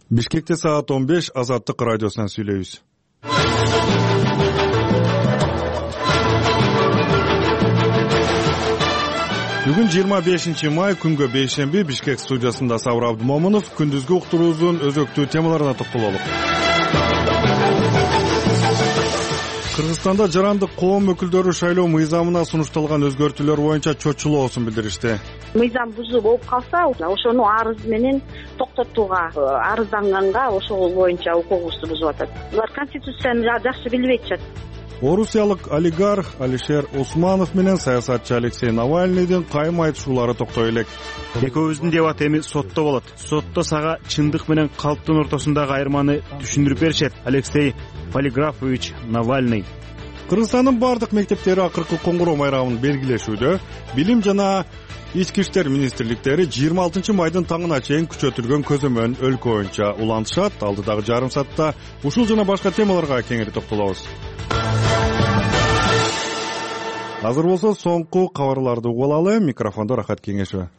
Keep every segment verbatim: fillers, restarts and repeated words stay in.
Бишкекте саат он беш, Азаттык радиосунан сүйлөйбүз. Бүгүн жыйырма бешинчи май, күнгө бейшемби. Бишкек студиясында Сабыр Абдымомунов. Күндүзгү уктуруубуздун өзөктүү темаларына токтололук. Кыргызстанда жарандык коом өкүлдөрү шайлоо мыйзамына сунушталган өзгөртүүлөр боюнча чочулоосун билдиришти. Мыйзам бузуу болуп калса, ошону арыз менен токтотууга, арызданганга ошол боюнча укугубузду бузуп атат. Булар конституцияны жакшы билбей атышат. Орусиялык олигарх Алишер Усманов менен саясатчы Алексей Навальныйдын кайым айтышуулары токтой элек. Экөөбүздүн дебат эми сотто болот. Сотто сага чындык менен калптын ортосундагы айырманы түшүндүрүп беришет. Алексей Полиграфович Навальный. Кыргызстандын бардык мектептери акыркы коңгуроо майрамын белгилешүүдө. Билим жана ички иштер министрликтери жыйырма алтынчы майдын таңына чейин күчөтүлгөн көзөмөн өлкө боюнча улантышат. Алдыдагы жарым саатта ушул жана башка темаларга кеңири токтолобуз. Азыр болсо соңку кабарларды угуп алалы. Микрофондо Рахат Кеңешева.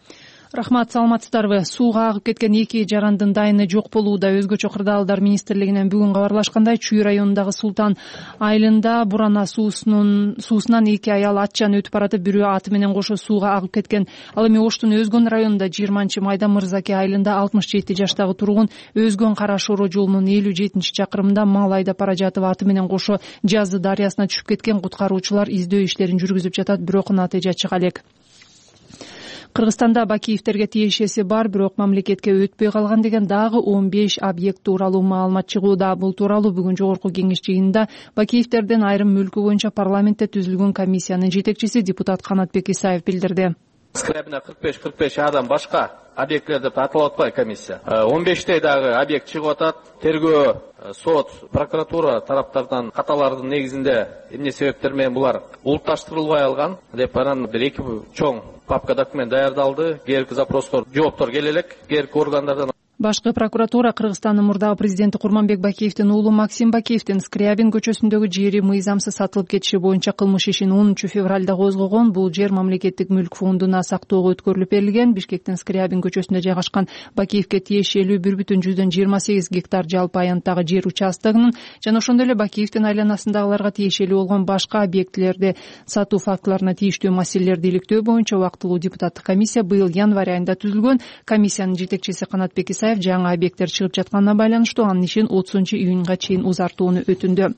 Рахмат, саламатсыздарбы? Сууга агып кеткен эки жарандын дайыны жок болууда. Өзгөчө кырдаалдар министрлигинен бүгүн кабарлашкандай, Чүй районундагы Султан айылында Бурана суусунун суусунан эки аял атчан өтүп баратып, бирөө аты менен кошо сууга агып кеткен. Ал эми Оштун Өзгөн районунда жыйырманчы майда Мырзаке айылында алтымыш жети жаштагы тургун Өзгөн Кара Шоро жолунун элүү жетинчи чакырымында мал айдап бара жатып аты менен кошо Жазы дарыясына түшүп кеткен. Куткаруучулар издөө иштерин жүргүзүп жатат, бирок натыйжа чыга элек. Кыргызстанда Бакиевтерге тиешеси бар, бирок мамлекетке өтпөй калган деген дагы он беш объект тууралуу маалымат чыгууда. Бул тууралуу бүгүн жогорку кеңеш жыйынында Бакиевтердин айрым мүлкү боюнча парламентте түзүлгөн комиссиянын жетекчиси депутат Канатбек Исаев билдирди. Скрябина кырк беш кырк беш адам башка объектлер деп аталып атпайбы комиссия. он бештей дагы объект чыгып атат. Тергөө, сот, прокуратура тараптарынан каталардын негизинде эмне себептер менен булар улутташтырылбай алган деп анан бир эки чоң папка документ даярдалды. Кээинки запростор, жооптор келе элек кээинки органдардан. Башкы прокуратура Кыргызстандын мурдагы президенти Курманбек Бакиевдин уулу Максим Бакиевдин Скрябин көчөсүндөгү жери мыйзамсыз сатылып кетиши боюнча кылмыш ишин онунчу февралда козгогон. Бул жер мамлекеттик мүлк фондуна сактоого өткөрүлүп берилген. Бишкектин Скрябин көчөсүндө жайгашкан Бакиевге тиешелүү бир бүтүн жүздөн жыйырма сегиз гектар жалпы аянттагы жер участогунун жана ошондой эле Бакиевдин айланасындагыларга тиешелүү болгон башка объектилерди сатуу фактыларына тийиштүү маселелерди иликтөө боюнча убактылуу депутаттык комиссия быйыл январь айында түзүлгөн. Комиссиянын жетекчиси Канатбек Исаев жаңы объекттер чыгып жатканына байланыштуу анын ишин отузунчу июнга чейин узартууну өтүндү.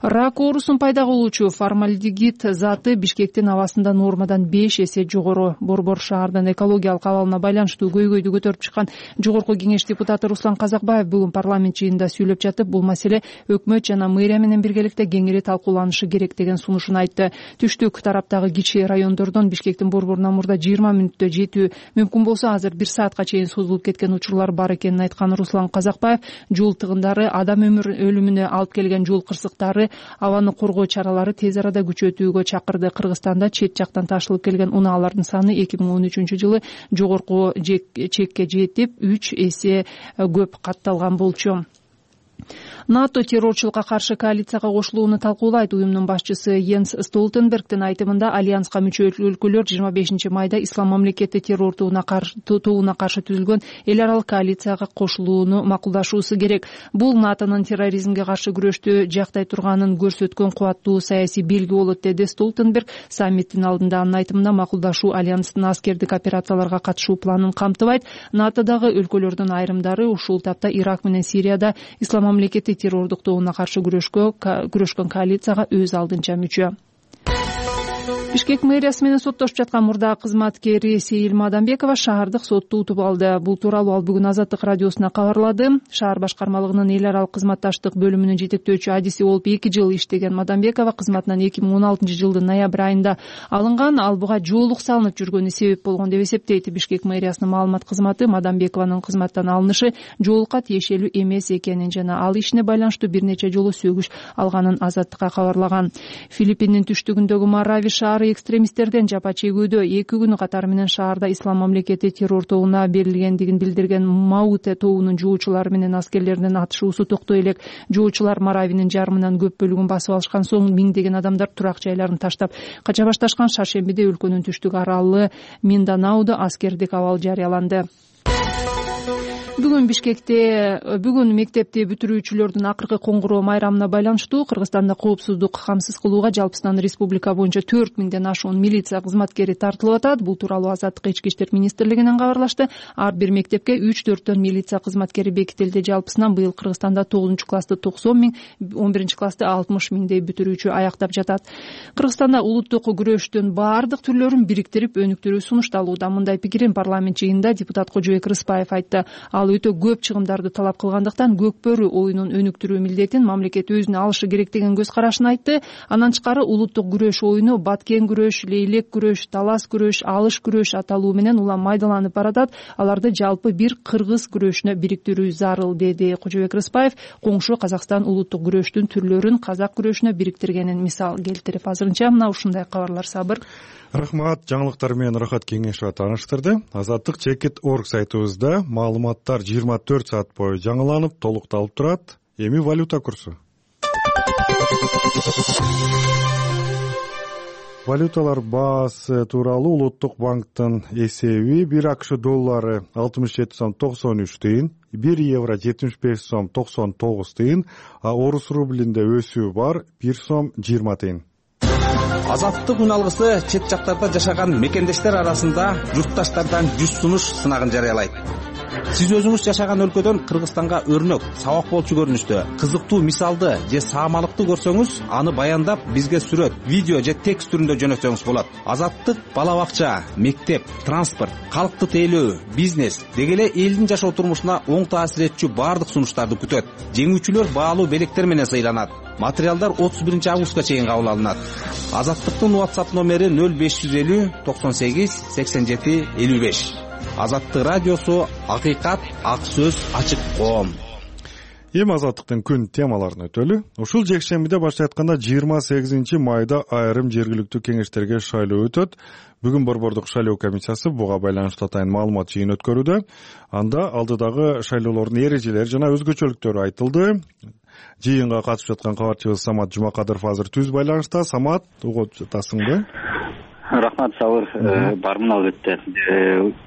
Рак оорусун пайда кылуучу формальдегид заты Бишкектин абасында нормадан беш эсе жогору. Борбор шаардын экологиялык абалына байланыштуу көйгөйдү көтөрүп чыккан жогорку кеңеш депутаты Руслан Казакбаев бүгүн парламент жыйынында сүйлөп жатып, бул маселе өкмөт жана мэрия менен биргеликте кеңири талкууланышы керек деген сунушун айтты. Түштүк тараптагы кичи райондордон Бишкектин борборуна мурда жыйырма мүнөттө жетүү мүмкүн болсо, азыр бир саатка чейин созулуп кеткен учурлар бар экенин айткан Руслан Казакбаев, жол тыгындары, адам өлүмүнө алып келген жол кырсыктары, абаны коргоо чаралары тез арада күчөтүүгө чакырды. Кыргызстанда чет жактан ташылып келген унаалардын саны эки миң он үчүнчү жылы жогорку чекке жетип, үч эсе көп катталган болчу. НАТО террорчулукка каршы коалицияга кошулууну талкуулайт. Уюмдун башчысы Йенс Столтенбергдин айтымында альянска мүчө өлкөлөр жыйырма бешинчи майда Ислам мамлекети террор тобуна каршы түзүлгөн эл аралык коалицияга кошулууну макулдашуусу керек. Бул НАТОнун терроризмге каршы күрөштү жактай турганын көрсөткөн кубаттуу саясий белги болот, деди Столтенберг. Саммиттин алдында анын айтымында макулдашуу альянстын аскердик операцияларга катышуу планын камтыбайт. НАТОдагы өлкөлөрдүн айрымдары ушул тапта Ирак менен Сирияда Ислам мамлекети террордук тобуна каршы күрөшкөн коалицияга өз алдынча мүчө. Бишкек мэриясы менен соттошуп жаткан мурдагы кызматкери Сейил Мадамбекова шаардык сотто утуп алды. Бул тууралуу ал бүгүн Азаттык радиосуна кабарлады. Шаар башкармалыгынын эл аралык кызматташтык бөлүмүнүн жетектөөчү адиси болуп эки жыл иштеген Мадамбекова кызматынан эки миң он алтынчы жылдын ноябрь айында алынган. Ал буга жоолук салынып жүргөнү себеп болгон деп эсептейт. Бишкек мэриясынын маалымат кызматы Мадамбекованын кызматтан алынышы жоолукка тиешелүү эмес экенин жана ал ишине байланыштуу бир нече жолу сөгүш алганын Азаттыкка кабарлаган. Филиппиндин түштүгүндөгү Марави шаары экстремисттерден жапа чегүүдө. Эки күнү катары менен шаарда Ислам мамлекети террор тобуна берилгендигин билдирген Мауте тобунун жоочулары менен аскерлердин атышуусу токтой элек. Жоочулар Маравинин жарымынан көп бөлүгүн басып алышкан соң миңдеген адамдар турак жайларын таштап кача башташкан. Шаршембиде өлкөнүн түштүк аралы Минданаудо аскердик абал жарыяланды. Бүгүн Бишкекте бүгүн мектепти бүтүрүүчүлөрдүн акыркы коңгуроо майрамына байланыштуу Кыргызстанда коопсуздук камсыз кылууга жалпысынан республика боюнча төрт миңден ашуун милиция кызматкери тартылып атат. Бул тууралуу Азаттык ички иштер министрлигинен кабарлашты. Ар бир мектепке үч төрттөн милиция кызматкери бекитилди. Жалпысынан быйыл Кыргызстанда тогузунчу классты токсон миң, он биринчи классты алтымыш миңдей бүтүрүүчү аяктап жатат. Кыргызстанда улуттук күрөштүн баардык түрлөрүн бириктирип өнүктүрүү сунушталууда. Мындай пикирин парламент жыйынында депутат Кожобек Рыспаев айтты. Ал өтө көп чыгымдарды талап кылгандыктан көкбөрү оюнун өнүктүрүү милдетин мамлекет өзүнө алышы керек деген көз карашын айтты. Андан тышкары улуттук күрөш оюну баткен күрөш, лейлек күрөш, талас күрөш, алыш күрөш аталуу менен улам майдаланып баратат. Аларды жалпы бир кыргыз күрөшүнө бириктирүү зарыл, деди Кожобек Рыспаев. Коңшу Казакстан улуттук күрөштүн түрлөрүн казак күрөшүнө бириктиргенин мисал келтирип. Азырынча мына ушундай кабарлар. Сабыр. Рахмат. Жаңылыктар менен Рахат Кеңешова тааныштырды. Азаттык чекит орг сайтыбызда маалыматтар жыйырма төрт саат бою жаңыланып, толукталып турат. Эми валюта курсу. Валюталар баасы тууралуу Улуттук банктын эсеби: бир АКШ доллары алтымыш жети сом токсон үч тыйын, бир евро жетимиш беш сом токсон тогуз тыйын, а орус рублинде өсүү бар бир сом жыйырма тыйын. Азаттык үн алгысы чет жактарда жашаган мекендештер арасында журтташтардан жүз сунуш сынагын жарыялайт. Сиз өзүңүз жашаган өлкөдөн Кыргызстанга өрнөк, сабак болчу көрүнүштө, кызыктуу мисалды же саамалыкты көрсөңүз, аны баяндап бизге сүрөт, видео же текст түрүндө жөнөтсөңүз болот. Азаттык бала бакча, мектеп, транспорт, калкты тейлөө, бизнес деги эле элдин жашоо турмушуна оң таасир этчү баардык сунуштарды күтөт. Жеңүүчүлөр баалуу белектер менен сыйланат. Материалдар отуз биринчи августка чейин кабыл алынат. Азаттыктын WhatsApp номери нөл беш жүз элүү токсон сегиз сексен жети элүү беш. Азаттык радиосу, акыйкат, ак сөз, ачык коом. Эми Азаттыктын күн темаларын өтөлү. Ушул жекшембиде баштай айтканда жыйырма сегизинчи майда айрым жергиликтүү кеңештерге шайлоо өтөт. Бүгүн Борбордук шайлоо комиссиясы буга байланыштуу атайын маалымат жыйын өткөрүүдө. Анда алдыдагы шайлоолордун эрежелери жана өзгөчөлүктөрү айтылды. Жыйынга катышып жаткан кабарчыбыз Самат Жумакадыров азыр түз байланышта. Самат, угуп жатасыңбы? Рахмат, Сабыр. Бармын албетте.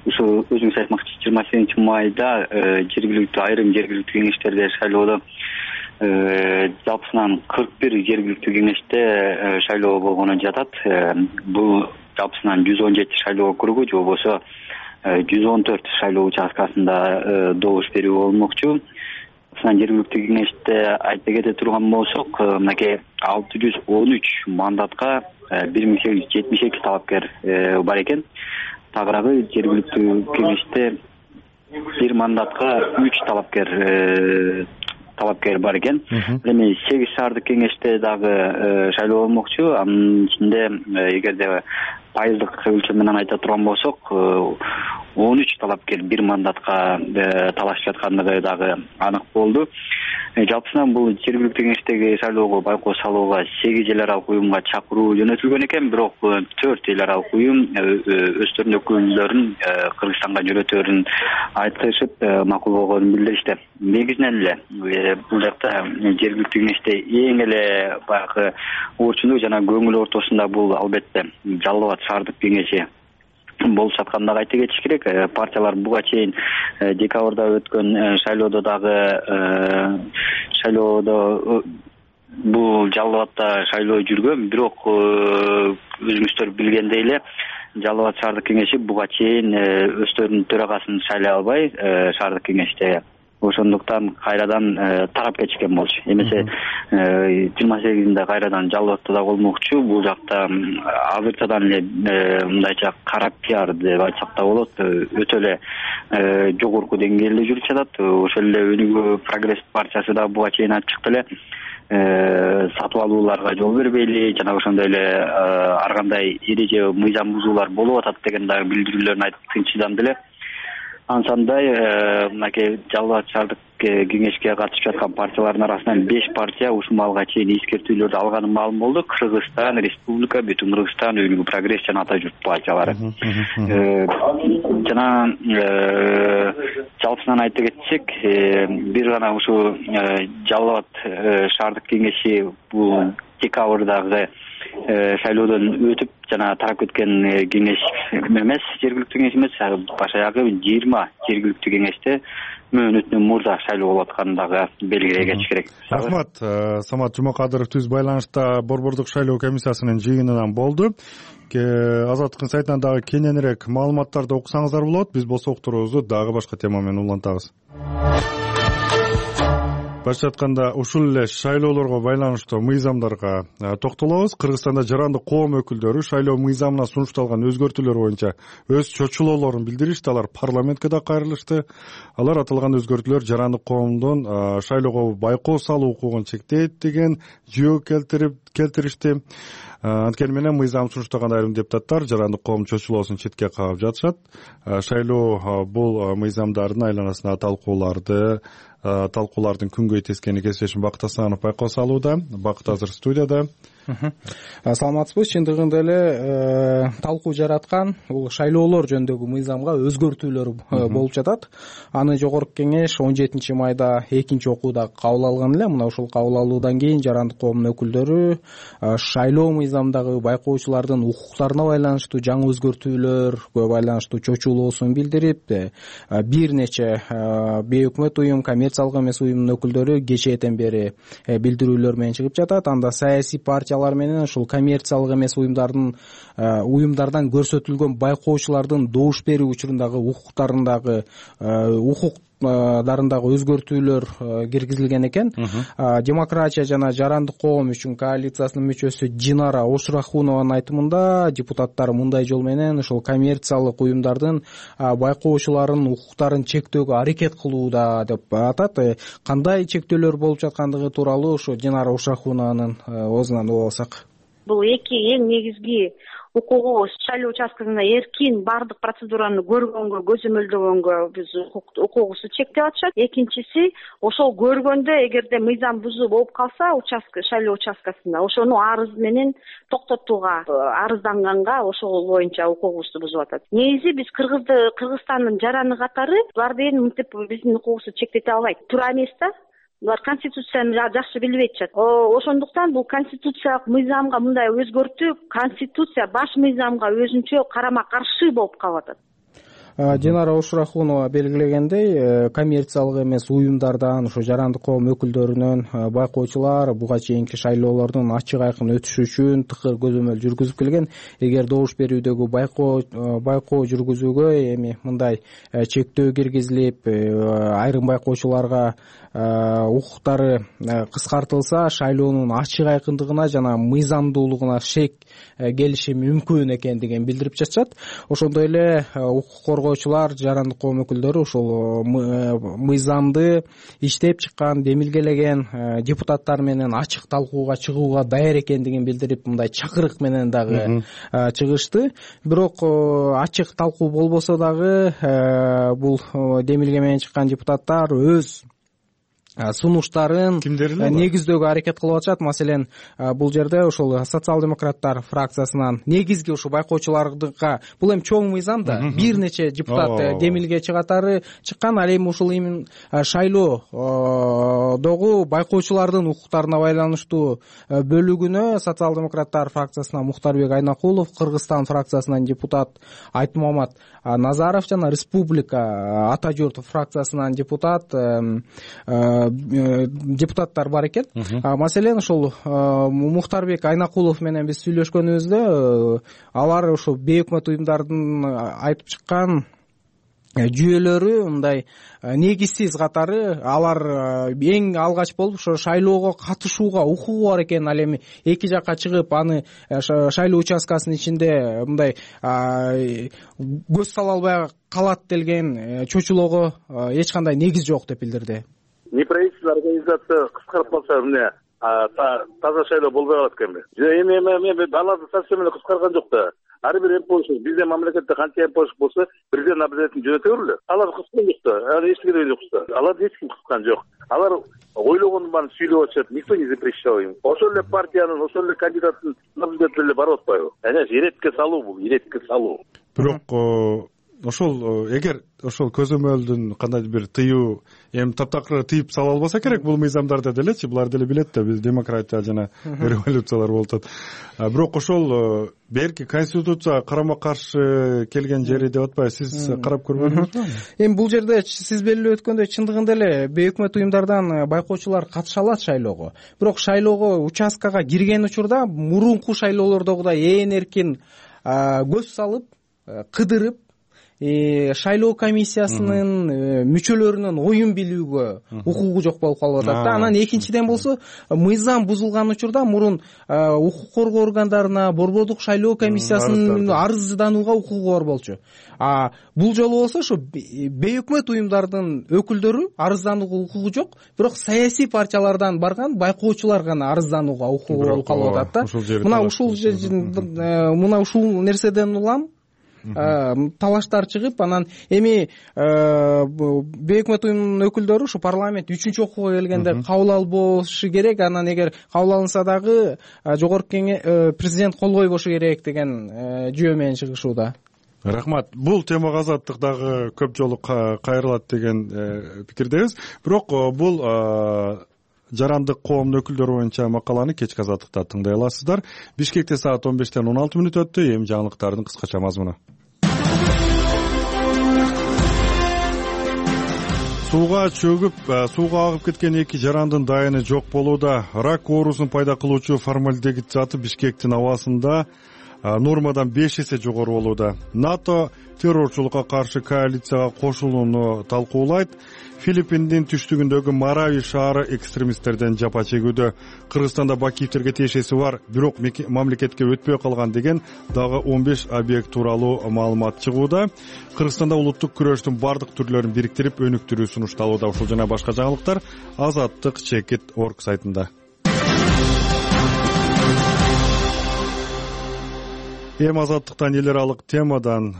Ушу өзүңүз айтмакчы, жыйырма сегизинчи майда жергиликтүү айрым жергиликтүү кеңештерде шайлоодо жалпысынан кырк бир жергиликтүү кеңеште шайлоо болгону жатат. Бул жалпысынан жүз он жети шайлоо округу же болбосо жүз он төрт шайлоо участкасында добуш берүү болмокчу. Жергиликтүү кеңеште айта кете турган болсок, мынакей алты жүз он үч мандатка бир миң сегиз жүз жетимиш эки талапкер бар экен. Тагыраагы жергиликтүү кеңеште бир мандатка үч талапкер талапкер бар экен. Эми сегиз шаардык кеңеште дагы шайлоо болмокчу. Анын ичинде эгерде пайыздык өлчөм менен айта турган болсок, он үч талапкер бир мандатка талашып жаткандыгы дагы анык болду. Жалпысынан бул жергиликтүү кеңештеги шайлоого байкоо салууга сегиз эл аралык уюмга чакыруу жөнөтүлгөн экен, бирок төрт эл аралык уюм өздөрүнүн өкүлдөрүн Кыргызстанга жөнөтөөрүн айтышып макул болгонун билдиришти. Негизинен эле бул жакта жергиликтүү кеңеште эң эле баягы орчундук жана көңүл ортосунда бул албетте Жалал Абад шаардык кеңеши болуп жаткандыгы айта кетиш керек. Партиялар буга чейин декабрда өткөн шайлоодо дагы шайлоодо бул Жалал Абадда шайлоо жүргөн, бирок өзүңүздөр билгендей эле Жалал Абад шаардык кеңеши буга чейин өздөрүнүн төрагасын шайлай албай шаардык кеңеште, ошондуктан кайрадан тарап кетишкен болчу. Эмесе жыйырма сегизинде кайрадан Жалал Абадда да болмокчу. Бул жакта азырчадан эле мындайча кара пиар деп айтсак да болот, өтө эле жогорку деңгээлде жүрүп жатат. Ошол эле Өнүгүү Прогресс партиясы да буга чейин айтып чыкты эле сатып алууларга жол бербейли жана ошондой эле ар кандай эреже мыйзам бузуулар болуп атат деген дагы билдирүүлөрүн айтып тынчсызданды эле. Ансандай мынакей Жалал Абад шаардык кеңешке катышып жаткан партиялардын арасынан беш партия ушул маалга чейин эскертүүлөрдү алганы маалым болду. Кыргызстан Республика, Бүтүн Кыргызстан, Өнүгүү Прогресс жана Ата журт партиялары. Жана жалпысынан айта кетсек, бир гана ушу Жалал Абад шаардык кеңеши бул декабрдагы шайлоодон өтүп жана тарап кеткен кеңеш эмес, жергиликтүү кеңеш эмес, башаягы жыйырма жергиликтүү кеңеште мөөнөтүнөн мурда шайлоо болуп атканын дагы белгилей кетиш керек. Рахмат. Самат Жумакадыров түз байланышта Борбордук шайлоо комиссиясынын жыйынынан болду. Азаттыктын сайтынан дагы кененирээк маалыматтарды окусаңыздар болот. Биз болсо уктуруубузду дагы башка тема менен улантабыз. Башка айтканда, ушул эле шайлоолорго байланыштуу мыйзамдарга токтолобуз. Кыргызстанда жарандык коом өкүлдөрү шайлоо мыйзамына сунушталган өзгөртүүлөр боюнча өз чочулоолорун билдиришти. Алар парламентке да кайрылышты. Алар аталган өзгөртүүлөр жарандык коомдун шайлоого байкоо салуу укугун чектейт деген жөө келтирип келтиришти. Анткени менен мыйзам сунуштаган айрым депутаттар жарандык коом чочулоосун четке кагып жатышат. Шайлоо бул мыйзамдардын айланасына талкууларды талкуулардын күнгөй тескени кесиптешим Бакыт Асанов байкоо салууда. Бакыт азыр студияда. Саламатсызбы. Чындыгында эле талкуу жараткан бул шайлоолор жөнүндөгү мыйзамга өзгөртүүлөр болуп жатат. Аны жогорку кеңеш он жетинчи майда экинчи окууда кабыл алган эле. Мына ушул кабыл алуудан кийин жарандык коомдун өкүлдөрү шайлоо мыйзамдагы байкоочулардын укуктарына байланыштуу жаңы өзгөртүүлөргө байланыштуу чочулоосун билдирип, бир нече бейөкмөт уюм, коммерциялык эмес уюмдун өкүлдөрү кечээден бери билдирүүлөр менен чыгып жатат. Анда саясий партиялар менен ушул коммерциялык эмес уюмдардын уюмдардан көрсөтүлгөн байкоочулардын добуш берүү учурундагы укуктарындагы укук дарындагы өзгөртүүлөр киргизилген экен. Демократия жана жарандык коом үчүн коалициясынын мүчөсү Динара Ошрахунованын айтымында депутаттар мындай жол менен ушул коммерциялык уюмдардын байкоочуларынын укуктарын чектөөгө аракет кылууда деп атат. Кандай чектөөлөр болуп жаткандыгы тууралуу ушу Динара Ошрахунованын оозунан угуп алсак. Бул эки эң негизги укугубуз шайлоо участкасында эркин баардык процедураны көргөнгө, көзөмөлдөгөнгө биз укугубузду чектеп атышат. Экинчиси, ошол көргөндө эгерде мыйзам бузуу болуп калса участка шайлоо участкасында ошону арыз менен токтотууга, арызданганга ошол боюнча укугубузду бузуп атат. Негизи биз Кыргызды Кыргызстандын жараны катары буларды эми мынтип биздин укугубузду чектете албайт. Туура эмес да. Булар конституцияны жакшы билбей атышат. Ошондуктан бул конституциялык мыйзамга мындай өзгөртүү конституция баш мыйзамга өзүнчө карама каршы болуп калып атат. Динара Ошрахунова белгилегендей, коммерциялык эмес уюмдардан ушу жарандык коом өкүлдөрүнөн байкоочулар буга чейинки шайлоолордун ачык айкын өтүшү үчүн тыкыр көзөмөл жүргүзүп келген. Эгер добуш берүүдөгү байкоо байкоо жүргүзүүгө эми мындай чектөө киргизилип, айрым байкоочуларга укуктары кыскартылса, шайлоонун ачык айкындыгына жана мыйзамдуулугуна шек келиши мүмкүн экендигин билдирип жатышат. Ошондой эле укук коргоочулар, жарандык коом өкүлдөрү ушул мыйзамды иштеп чыккан, демилгелеген депутаттар менен ачык талкууга чыгууга даяр экендигин билдирип, мындай чакырык менен дагы чыгышты. Бирок ачык талкуу болбосо дагы бул демилге менен чыккан депутаттар өз сунуштарын негиздөөгө аракет кылып атышат. Маселен, бул жерде ушул социал-демократтар фракциясынан негизги ушу байкоочуларга, бул эми чоң мыйзам да, бир нече депутат демилге чыгатары чыккан. Ал эми ушул эми шайлоодогу байкоочулардын укуктарына байланыштуу бөлүгүнө социал-демократтар фракциясынан Мухтарбек Айнакулов, Кыргызстан фракциясынан депутат Айтмамат Назаров жана Республика Ата журт фракциясынан депутат депутаттар бар экен. Маселен, ушул Мухтарбек Айнакулов менен биз сүйлөшкөнүбүздө алар ушул бейөкмөт уюмдардын айтып чыккан жүйөлөрү мындай негизсиз катары, алар эң алгач болуп ошо шайлоого катышууга укугу бар экен. Ал эми эки жакка чыгып, аны шайлоо участкасынын ичинде мындай көз сала албай калат делген чочулоого эч кандай негиз жок деп билдирди. Неправительственный организация кыскарып калса, эмне таза шайлоо болбой калат экенби? Эми эми аларды совсем эле кыскарган жок да. Ар бир эмпошник, биздин мамлекетте канча эмпошник болсо, бирден обязательно жөнөтө берилет. Алар кыскан жок да. Аны эч керек жок да. Аларды эч ким кыскан жок. Алар ойлогондун баарын сүйлөп атышат, никто не запрещал им. Ошол эле партиянын, ошол эле кандидаттын наблюдателери барып атпайбы? Эне иретке салуу бул, иретке салуу. Бирок ошол эгер ошол көзөмөлдүн кандайдыр бир тыюу эми таптакыр тыйып сала албаса керек бул мыйзамдарды делечи, булар деле билет да биз демократия жана революциялар болуп атат. Бирок ошол берки конституцияга карама каршы келген жери деп атпайбы, сиз карап көрбөдүңүзбү? Эми бул жерде сиз белгилеп өткөндөй чындыгында эле бейөкмөт уюмдардан байкоочулар катыша алат шайлоого. Бирок шайлоого участкага кирген учурда мурунку шайлоолордогудай ээн эркин көз салып, кыдырып, шайлоо комиссиясынын мүчөлөрүнүн оюн билүүгө укугу жок болуп калып атат да. Анан экинчиден болсо мыйзам бузулган учурда мурун укук коргоо органдарына, борбордук шайлоо комиссиясынын арызданууга укугу бар болчу. А бул жолу болсо ошо бейөкмөт уюмдардын өкүлдөрү арызданууга укугу жок, бирок саясий партиялардан барган байкоочулар гана арызданууга укугу болуп калып атат да. Мына ушул мына ушул нерседен улам талаштар чыгып, анан эми бейөкмөт уюмдун өкүлдөрү ушу парламент үчүнчү окууга келгенде кабыл албошу керек. Анан эгер кабыл алынса дагы жогорку кеңеш президент кол койбошу керек деген жүйө менен чыгышууда. Рахмат. Бул темага Азаттык дагы көп жолу кайрылат деген пикирдебиз. Бирок бул жарандык коомдун өкүлдөрү боюнча макаланы кечки Азаттыкта тыңдай аласыздар. Бишкекте саат он бештен он алты мүнөт өттү. Эми жаңылыктардын кыскача мазмуну. Сууга чөгүп, сууга агып кеткен эки жарандын дайыны жок болууда. Рак оорусун пайда кылуучу формальдегид заты Бишкектин абасында нормадан беш эсе жогору болууда. НАТО террорчулукка каршы коалицияга кошулууну талкуулайт. Филиппиндин түштүгүндөгү Марави шаары экстремисттерден жапа чегүүдө. Кыргызстанда Бакиевтерге тиешеси бар, бирок мамлекетке өтпөй калган деген дагы он беш объект тууралуу маалымат чыгууда. Кыргызстанда улуттук күрөштүн бардык түрлөрүн бириктирип өнүктүрүү сунушталууда. Ушул жана башка жаңылыктар Азаттык чекит точка орг сайтында. Эми Азаттыктан эл аралык темадан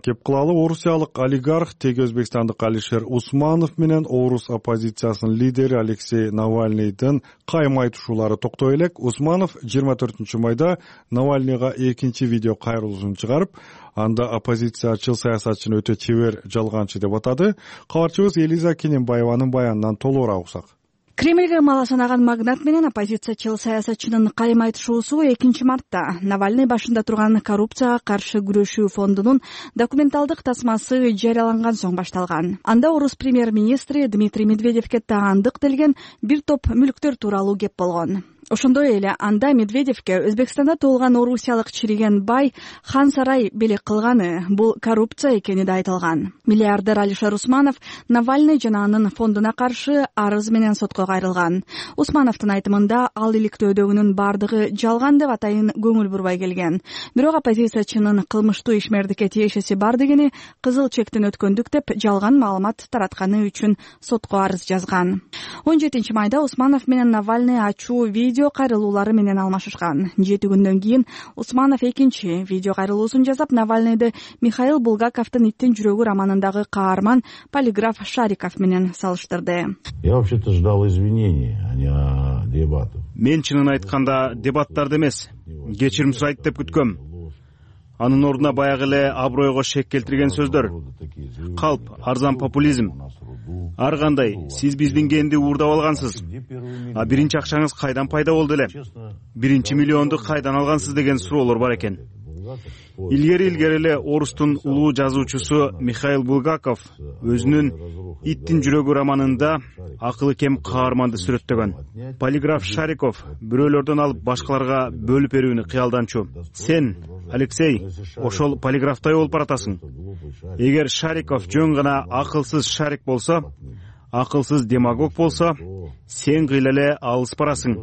кеп кылалы. Орусиялык олигарх теги өзбекстандык Алишер Усманов менен орус оппозициясынын лидери Алексей Навальныйдын кайым айтышуулары токтой элек. Усманов жыйырма төртүнчү майда Навальныйга экинчи видео кайрылуусун чыгарып, анда оппозициячыл саясатчыны өтө чебер жалганчы деп атады. Кабарчыбыз Элиза Кененбаеванын баянынан толугураак уксак. Кремльге мала санаган магнат менен оппозициячыл саясатчынын кайым айтышуусу экинчи мартта Навальный башында турган коррупцияга каршы күрөшүү фондунун документалдык тасмасы жарыяланган соң башталган. Анда орус премьер-министри Дмитрий Медведевке таандык делген бир топ мүлктөр тууралуу кеп болгон. Ошондой эле анда Медведевке Өзбекстанда туулган орусиялык чириген бай хан сарай белек кылганы бул коррупция экени да айтылган. Миллиардер Алишер Усманов Навальный жана анын фондуна каршы арыз менен сотко кайрылган. Усмановдун айтымында ал иликтөөдөгүнүн бардыгы жалган деп атайын көңүл бурбай келген. Бирок оппозициячынын кылмыштуу ишмердикке тиешеси бар дегени кызыл чектен өткөндүк деп жалган маалымат таратканы үчүн сотко арыз жазган. он жетинчи майда Усманов менен Навальный ачуу видео видео кайрылуулары менен алмашышкан. Жети күндөн кийин Усманов экинчи видео кайрылуусун жасап, Навальныйды Михаил Булгаковдун «Иттин жүрөгү» романындагы каарман полиграф Шариков менен салыштырды. Я вообще-то ждал извинений, а не дебатов. Мен чынын айтканда дебаттарды эмес, кечирим сурайт деп күткөм. Анын ордуна баягы эле абройго шек келтирген сөздөр. Калп, арзан популизм. Ар кандай, сиз биздин кенди уурдап алгансыз. А биринчи акчаңыз кайдан пайда болду эле? Биринчи миллионду кайдан алгансыз деген суроолор бар экен. Илгери-илгери эле орустун улуу жазуучусу Михаил Булгаков өзүнүн «Иттин жүрөгү» романында акылы кем каарманды сүрөттөгөн. Полиграф Шариков бирөөлөрдөн алып башкаларга бөлүп берүүнү кыялданчу. Сен, Алексей, ошол полиграфтай болуп баратасың. Эгер Шариков жөн гана акылсыз шарик болсо, акылсыз демагог болсо, сен кыйла эле алыс барасың.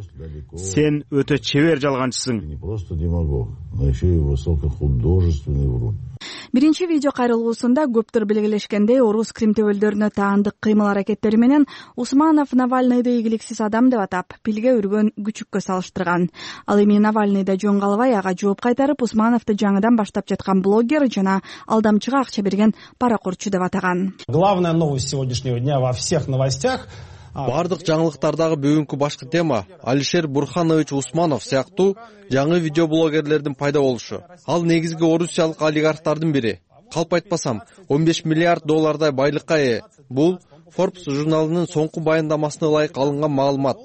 Сен өтө чебер жалганчысың. Не просто демагог, но еще и высокохудожественный врун. Биринчи видео кайрылуусунда көптөр белгилешкендей орус кримтөбөлдөрүнө таандык кыймыл аракеттери менен Усманов Навальныйды ийгиликсиз адам деп атап, пилге үргөн күчүккө салыштырган. Ал эми Навальныйда жөн калбай ага жооп кайтарып, Усмановду жаңыдан баштап жаткан блогер жана алдамчыга акча берген паракурчу деп атаган. Главная новость сегодняшнего дня во всех новостях. Бардык жаңылыктардагы бүгүнкү башкы тема Алишер Бурханович Усманов сыяктуу жаңы видеоблогерлердин пайда болушу. Ал негизги орусиялык олигархтардын бири. калп айтпасам он беш миллиард доллардай байлыкка ээ. Бул Forbes журналынын соңку баяндамасына ылайык алынган маалымат.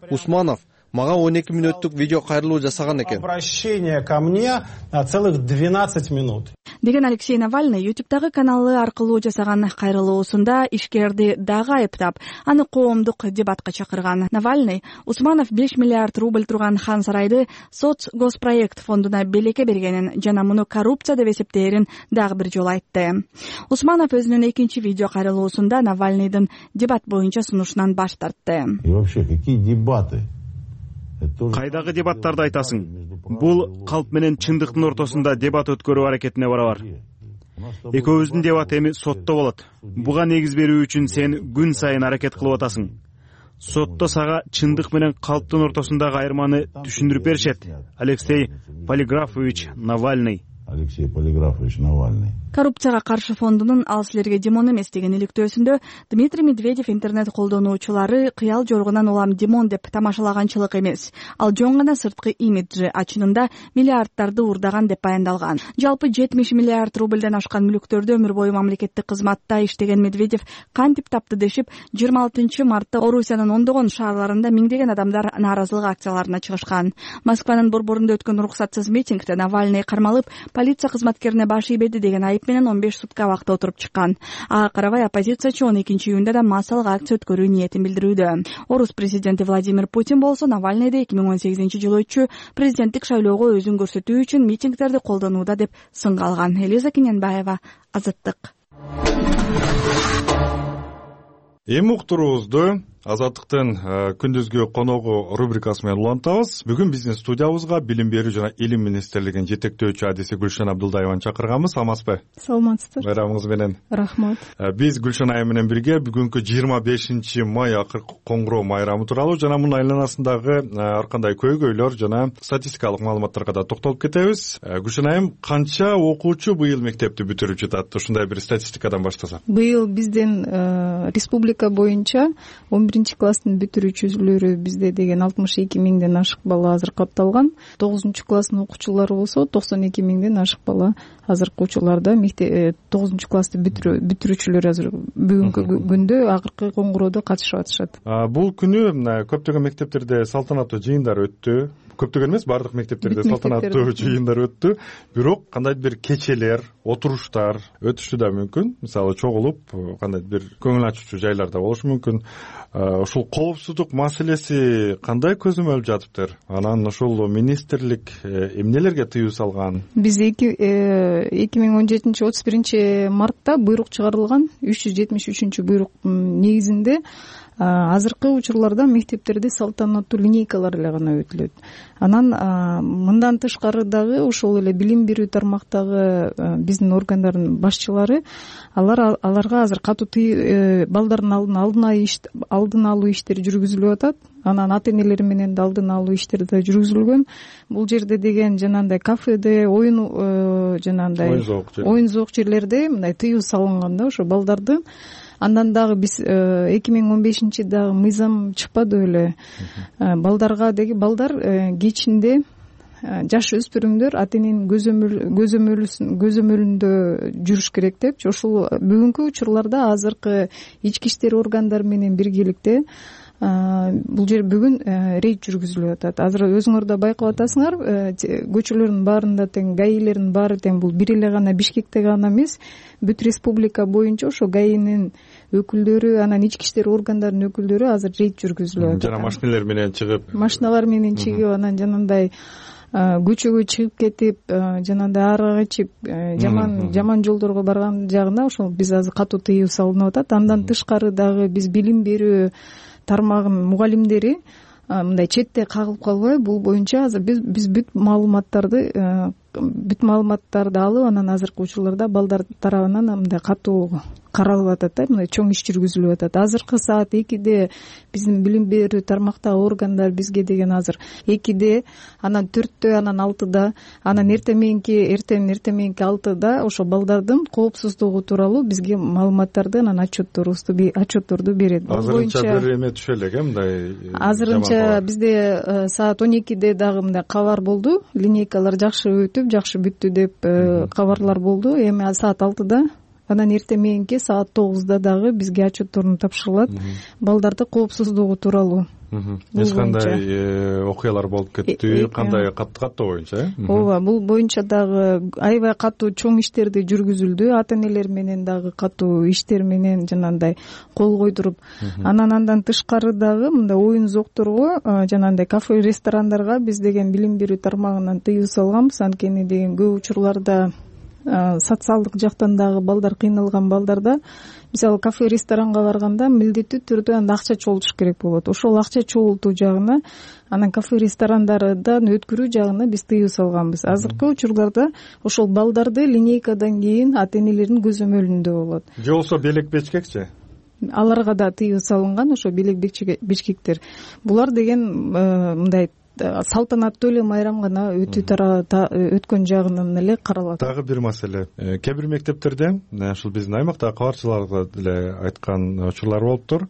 Усманов мага он эки мүнөттүк видео кайрылуу жасаган экен. Обращение ко мне целых двенадцать минут. Деген Алексей Навальный ютубтагы каналы аркылуу жасаган кайрылуусунда ишкерди дагы айыптап, аны коомдук дебатка чакырган. Навальный Усманов беш миллиард рубль турган Хан сарайды соц госпроект фондуна белекке бергенин жана муну коррупция деп эсептээрин дагы бир жолу айтты. Усманов өзүнүн экинчи видео кайрылуусунда Навальныйдын дебат боюнча сунушунан баш тартты. И вообще какие дебаты? Кайдагы дебаттарды айтасың? Бул калп менен чындыктын ортосунда дебат өткөрүү аракетине барабар. Экөөбүздүн дебат эми сотто болот. Буга негиз берүү үчүн сен күн сайын аракет кылып атасың. Сотто сага чындык менен калптын ортосундагы айырманы түшүндүрүп беришет. Алексей Полиграфович Навальный. Алексей Полиграфович Навальный. Коррупцияга каршы фондунун ал силерге Димон эмес деген иликтөөсүндө Дмитрий Медведев интернет колдонуучулары кыял жоргунан улам Димон деп тамашалаганчылык эмес, ал жөн гана сырткы имиджи, а чынында миллиарддарды уурдаган деп баяндалган. Жалпы жетимиш миллиард рубльден ашкан мүлктөрдү өмүр бою мамлекеттик кызматта иштеген Медведев кантип тапты дешип, жыйырма алтынчы мартта Орусиянын ондогон шаарларында миңдеген адамдар нааразылык акцияларына чыгышкан. Москванын борборунда өткөн уруксатсыз митингде Навальный кармалып, полиция кызматкерине баш ийбеди деген айып менен он беш сутка убакыт отуруп чыккан. Ага карабай оппозициячы он экинчи июнда да массалык акция өткөрүү ниетин билдирүүдө. Орус президенти Владимир Путин болсо Навальныйды эки миң он сегизинчи жылы өтчү президенттик шайлоого өзүн көрсөтүү үчүн митингдерди колдонууда деп сынга алган. Элиза Кененбаева, Азаттык. Эми уктуруубузду Азаттыктын күндүзгү коногу рубрикасы менен улантабыз. Бүгүн биздин студиябызга билим берүү жана илим министрлигинин жетектөөчү адиси Гүлшан Абдулдаеваны чакырганбыз. Саламатсызбы? Саламатсыздар. Байрамыңыз менен. Рахмат. Биз Гүлшан айым менен бирге бүгүнкү жыйырма бешинчи май акыркы коңгуроо майрамы тууралуу жана мунун айланасындагы ар кандай көйгөйлөр жана статистикалык маалыматтарга да токтолуп кетебиз. Гүлшан айым, канча окуучу быйыл мектепти бүтүрүп жатат? Ушундай бир статистикадан баштасак. Быйыл биздин республика боюнча он биринчи класстын бүтүрүүчүлөрү бизде деген алтымыш эки миңден ашык бала азыр катталган. тогузунчу класстын окуучулары болсо токсон эки миңден ашык бала азыркы учурларда мектеп тогузунчу классты бүтүрүүчүлөр азыр бүгүнкү күндө акыркы коңгуроодо катышып атышат. Бул күнү көптөгөн мектептерде салтанаттуу жыйындар өттү. Көптөгөн эмес, бардык мектептерде салтанаттуу жыйындар өттү. Бирок кандайдыр бир кечелер, отуруштар өтүшү да мүмкүн. Мисалы чогулуп, кандайдыр бир көңүл ачуучу жайларда болушу мүмкүн. Ушул коопсуздук маселеси кандай көзөмөлүп жатыптыр? Анан ушул министрлик эмнелерге тыюу салган? Биз эки миң он жетинчи отуз биринчи мартта буйрук чыгарылган. үч жүз жетимиш үчүнчү буйрук негизинде азыркы учурларда мектептерде салтанаттуу линейкалар эле гана өтүлөт. Анан мындан тышкары дагы ошол эле билим берүү тармактагы биздин органдардын башчылары алар аларга азыр катуу балдардын алдын алдын алуу иштери жүргүзүлүп атат. Анан ата энелери менен да алдын алуу иштери да жүргүзүлгөн. Бул жерде деген жанагындай кафеде, оюн жанагындай оюн зоок жерлерде мындай тыюу салынган да ошо балдардын. Андан дагы биз эки миң он бешинчи дагы мыйзам чыкпады беле. Балдарга деги балдар кечинде жаш өспүрүмдөр ата эненин көзөмөлүндө жүрүш керек депчи. Ошол бүгүнкү учурларда азыркы ички иштер органдары менен биргеликте бул жер бүгүн рейд жүргүзүлүп атат. Азыр өзүңөр да байкап атасыңар, көчөлөрдүн баарында тең гаилердин баары тең бул бир эле гана Бишкекте гана эмес, бүт республика боюнча ошо гаинин өкүлдөрү, анан ички иштер органдарынын өкүлдөрү азыр рейд жүргүзүлүп атат. Жана машиналар менен чыгып, машиналар менен чыгып, анан жанагындай көчөгө чыгып кетип, жанагындай арак ичип, жаман жаман жолдорго барган жагына ошол биз азыр катуу тыюу салынып атат. Андан тышкары дагы биз билим берүү тармагынын мугалимдери мындай четте кагылып калбай, бул боюнча азыр биз биз бүт маалыматтарды бүт маалыматтарды алып, анан азыркы учурларда балдар тарабынан мындай катуу каралып атат да, мындай чоң иш жүргүзүлүп атат. Азыркы саат экиде биздин билим берүү тармактагы органдар бизге деген азыр экиде, анан төрттө, анан алтыда, анан эртең мененки эртең эртең мененки алтыда ошо балдардын коопсуздугу тууралуу бизге маалыматтарды, анан отчетторубузду отчетторду берет. Азырынча бир эме түшө элек э мындай. Азырынча бизде саат он экиде дагы мындай кабар болду. Линейкалар жакшы өтүп, бүтүп жакшы бүттү деп кабарлар болду. Эми саат алтыда анан эртең мененки саат тогузда дагы бизге отчетторун тапшырылат балдардын коопсуздугу тууралуу. Эч кандай окуялар болуп кетти, кандай каттоо боюнча э? Ооба, бул боюнча дагы аябай катуу чоң иштерди жүргүзүлдү. Ата энелер менен дагы катуу иштер менен жанагындай кол койдуруп, анан андан тышкары дагы мындай оюн зоокторго, жанагындай кафе, ресторандарга биз деген билим берүү тармагынан тыюу салганбыз. Анткени деген көп учурларда социалдык жактан дагы балдар кыйналган балдарда, мисалы кафе, ресторанга барганда милдеттүү түрдө анда акча чогултуш керек болот. Ошол акча чогултуу жагына, анан кафе, ресторандардан өткөрүү жагына биз тыюу салганбыз. Азыркы учурларда ошол балдарды линейкадан кийин ата энелердин көзөмөлүндө болот. Же болбосо белек бечкекчи? Аларга да тыюу салынган, ошо белек бечкектер. Булар деген мындай салтанаттуу эле майрам гана өтүү өткөн жагынан эле каралат. Дагы бир маселе, кээ бир мектептерде, ушул биздин аймактагы кабарчыларга деле айткан учурлар болуптур.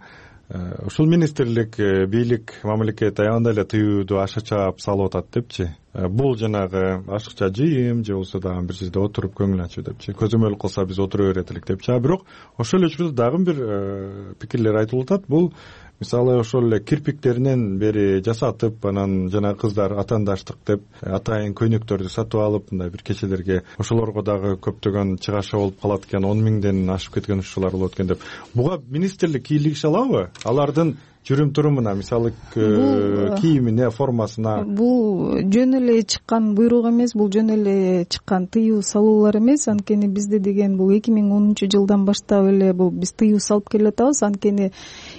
Ушул министрлик, бийлик, мамлекет аябандай эле тыюуду аша чаап салып атат депчи. Бул жанагы ашыкча жыйым же болбосо дагы бир жерде отуруп көңүл ачуу депчи. Көзөмөл кылса биз отура берет элек депчи. А бирок ошол эле учурда дагы бир пикирлер айтылып атат. Бул мисалы ошол эле кирпиктеринен бери жасатып, анан жана кыздар атаандаштык деп атайын көйнөктөрдү сатып алып, мындай бир кечелерге ошолорго дагы көптөгөн чыгаша болуп калат экен, он миңден ашып кеткен учурлар болот экен деп. Буга министрлик кийлигише алабы? Алардын жүрүм турумуна, мисалы кийимине, формасына? Бул жөн эле чыккан буйрук эмес, бул жөн эле чыккан тыюу салуулар эмес. Анткени бизде деген бул эки миң онунчу жылдан баштап эле бул биз тыюу салып келатабыз. Анткени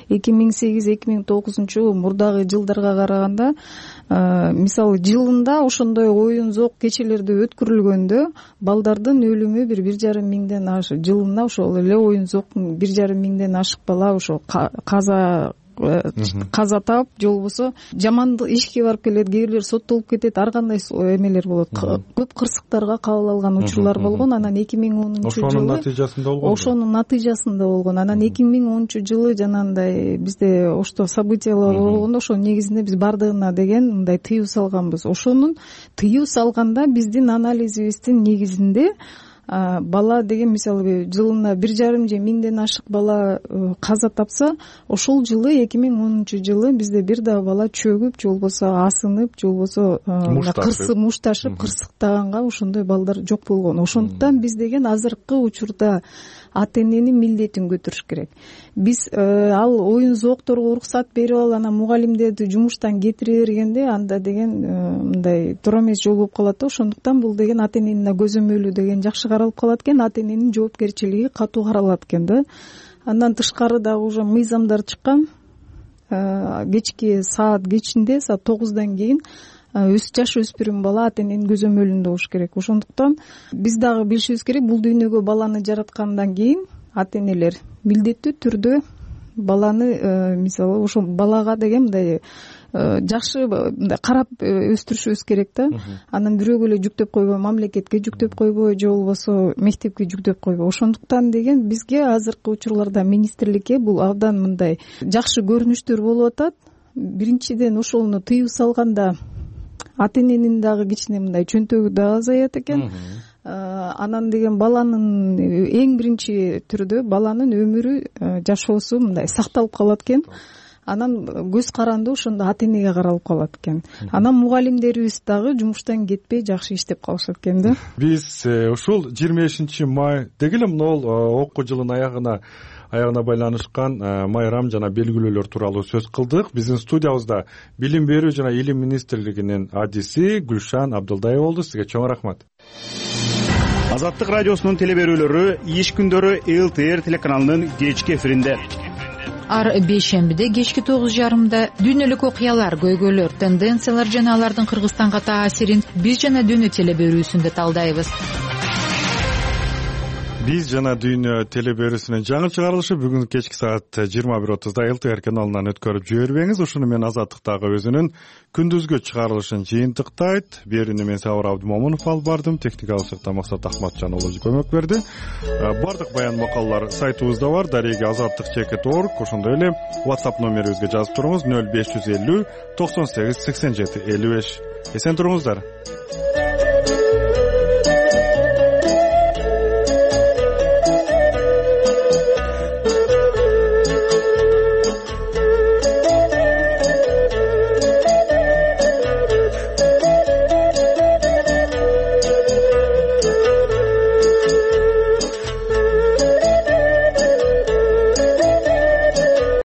эки миң сегиз эки миң тогузунчу мурдагы жылдарга караганда, мисалы жылында ошондой оюн зоок кечелерди өткөрүлгөндө балдардын өлүмү бир бир жарым миңден ашык. Жылына ошол эле оюн зооктун бир жарым миңден ашык бала ошо каза каза таап, же болбосо жаман ишке барып келет, кээ бирлер соттолуп кетет, ар кандай эмелер болот. Көп кырсыктарга кабыл алган учурлар болгон. Анан эки миң онунчу жылы ошонун натыйжасында болгон. Ошонун натыйжасында болгон. Анан эки миң онунчу жылы жанагындай бизде ошто событиялар болгондо ошонун негизинде биз бардыгына деген мындай тыюу салганбыз. Ошонун тыюу салганда биздин анализибиздин негизинде бала деген мисалы жылына бир жарым же миңден ашык бала каза тапса, ошол жылы эки миң онунчу жылы бизде бир дагы бала чөгүп, же болбосо асынып, же болбосо кырсып, мушташып, кырсыктаганга ошондой балдар жок болгон. Ошондуктан биз деген азыркы учурда ата эненин милдетин көтөрүш керек. Биз ал оюн зоокторго уруксат берип алып, анан мугалимдерди жумуштан кетире бергенде анда деген мындай туура эмес жол болуп калат да. Ошондуктан бул деген ата эненин көзөмөлү деген жакшы каралып калат экен, ата эненин жоопкерчилиги катуу каралат экен да. Андан тышкары дагы уже мыйзамдар чыккан. Кечки саат кечинде, саат тогуздан кийин жаш өспүрүм бала ата эненин көзөмөлүндө болуш керек. Ошондуктан биз дагы билишибиз керек, бул дүйнөгө баланы жараткандан кийин ата энелер милдеттүү түрдө баланы мисалы ошол балага деген мындай жакшы мындай карап өстүрүшүбүз керек да. Анан бирөөгө эле жүктөп койбой, мамлекетке жүктөп койбой, же болбосо мектепке жүктөп койбой. Ошондуктан деген бизге азыркы учурларда министрликке бул абдан мындай жакшы көрүнүштөр болуп атат. Биринчиден ошону тыюу салганда ата эненин дагы кичине мындай чөнтөгү да азаят экен. Анан деген баланын эң биринчи түрдө баланын өмүрү, жашоосу мындай сакталып калат экен. Анан көз каранды ошондо ата энеге каралып калат экен. Анан мугалимдерибиз дагы жумуштан кетпей жакшы иштеп калышат экен да. Биз ушул жыйырма бешинчи май деги эле могул окуу жылынын аягына аягына байланышкан майрам жана белгилөөлөр тууралуу сөз кылдык. Биздин студиябызда билим берүү жана илим министрлигинин адиси Гүлшан Абдылдаева болду. Сизге чоң рахмат. Азаттык радиосунун теле берүүлөрү иш күндөрү эл тэ эр телеканалынын кечки эфиринде. Ар бейшембиде кечки тогуз жарымда дүйнөлүк окуялар, көйгөйлөр, тенденциялар жана алардын Кыргызстанга таасирин биз жана дүйнө теле берүүсүндө талдайбыз. Биз жана дүйнө теле берүүсүнүн жаңы чыгарылышы бүгүн кечки саат жыйырма бир отузда эл тэ эр каналынан өткөрүп жибербеңиз. Ушуну менен Азаттыктагы өзүнүн күндүзгү чыгарылышын жыйынтыктайт. Берүүнү мен Сабыр Абдымомунов алып бардым. Техникалык жакта Максат Ахматжан уулу көмөк берди. Бардык баян макалалар сайтыбызда бар. Дареги азаттык чекит точка орг. Ошондой эле WhatsApp номерибизге жазып туруңуз. нөл беш жүз элүү токсон сегиз сексен жети элүү беш. Эсен туруңуздар.